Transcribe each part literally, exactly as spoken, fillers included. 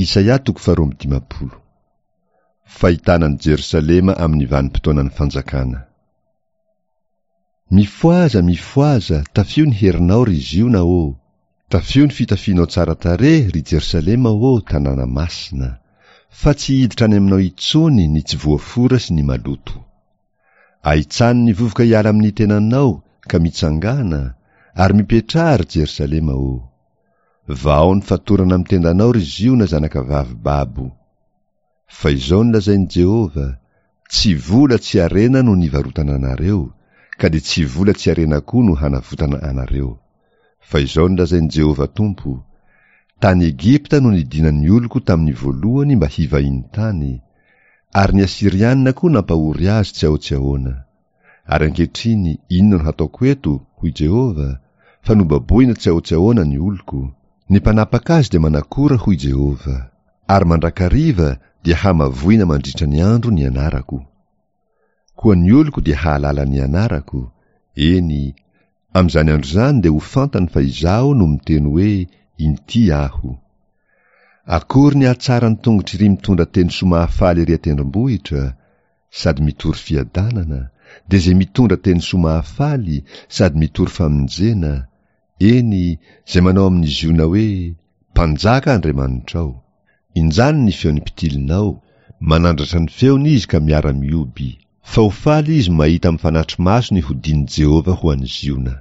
Isaia toko faharoa amby dimampolo. Fahitana an'i Jerosalema amin'ny vanim-potoanan'ny fanjakana. Mifohaza, mifohaza, tafio ny herinao, ry Ziona ô! Tafio ny fitafianao tsara tarehy, ry Jerosalema ô, tanàna masina! Fa tsy hiditra any aminao intsony ny tsy voafora sy ny maloto. Ahitsano ny vovoka hiala amin'ny tenanao, ka mitsangàna, ary mipetraha, ry Jerosalema ô! Vahao ny fatorana amin'ny tendanao, ry Ziona zanakavavy babo. Fa izao no lazain'i Jehovah, Tsy vola tsy harena no nivarotana anareo, ka dia tsy vola tsy harena koa no hanavotana anareo. Fa izao no lazain'i Jehovah Tompo, Tany Egypta no nidinan'ny oloko tamin'ny voalohany mba hivahiny tany, ary ny Asyriana koa nampahory azy tsy ahoa tsy ahoana. Ary ankehitriny inona no hataoko eto, hoy Jehovah, fa nobaboina tsy ahoa tsy ahoana ny oloko? Ny mpanapaka azy dia manakora, hoy Jehovah, ary mandrakariva dia hamavoina mandritra ny andro ny anarako. Koa ny oloko dia hahalala ny anarako, eny, amin'izany andro izany dia ho fantany fa Izaho no miteny hoe, Inty Aho. Akory ny hatsaran'ny tongotr'iry mitondra teny soa mahafaly ery an-tendrombohitra, sady mitory fiadanana, dia izay mitondra teny soa mahafaly sady mitory famonjena, eny, izay manao amin'i Ziona hoe, Mpanjaka Andriamanitrao. Injany ny feon'ny mpitilinao, manandratra ny feony izy ka miara-mihoby. Fa ho faly izy mahita amin'ny fanatri-maso ny hodian'i Jehovah ho an'i Ziona.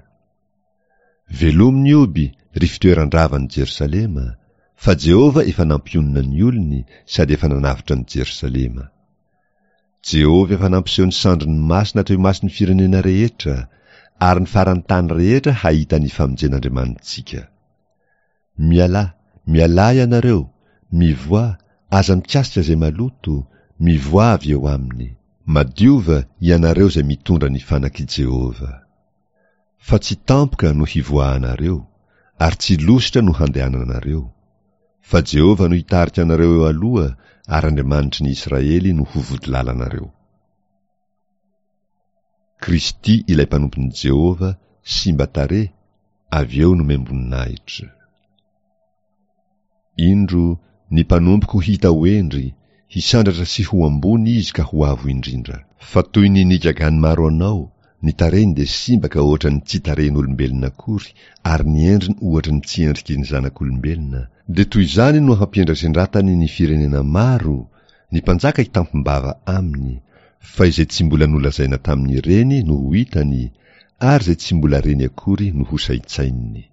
Velomy ny hoby, ry fitoeran-dravan'i Jerosalema, fa Jehovah efa nampionona ny olony sady efa nanavotra an'i Jerosalema. Jehovah efa nampiseho ny sandriny masina teo imason'ny firenena rehetra, ary ny faran'ny tany rehetra hahita ny famonjen'Andriamanitsika. Mialà, mialà ianareo, mivoaha, aza mikasika izay maloto, mivoaha avy eo aminy. Madiova ianareo izay mitondra ny fanak'i Jehovah. Fa tsy tampoka no hivoahanareo, ary tsy lositra no handehananareo. Fa Jehovah no hitarika anareo eo aloha, ary Andriamanitry ny Israely no ho vodilalanareo. Kristy ilay mpanompon'i Jehovah simba tarehy, avy eo nomem-boninahitra. Indro, ny mpanompoko hita ho hendry, hisandratra sy ho ambony izy ka ho avo indrindra. Fa toy ny nigagan'ny maro anao, ny tarehiny dia simba ka ohatra ny tsy tarehin'olombelona akory, ary ny endriny ohatra ny tsy endriky ny zanak'olombelona, dia toy izany no hampiendrasendratany ny firenena maro, ny mpanjaka hitampim-bava aminy, fa izay tsy mbola nolazaina tamin'ireny no ho hitany, ary izay tsy mbola reny akory no hosaintsaininy.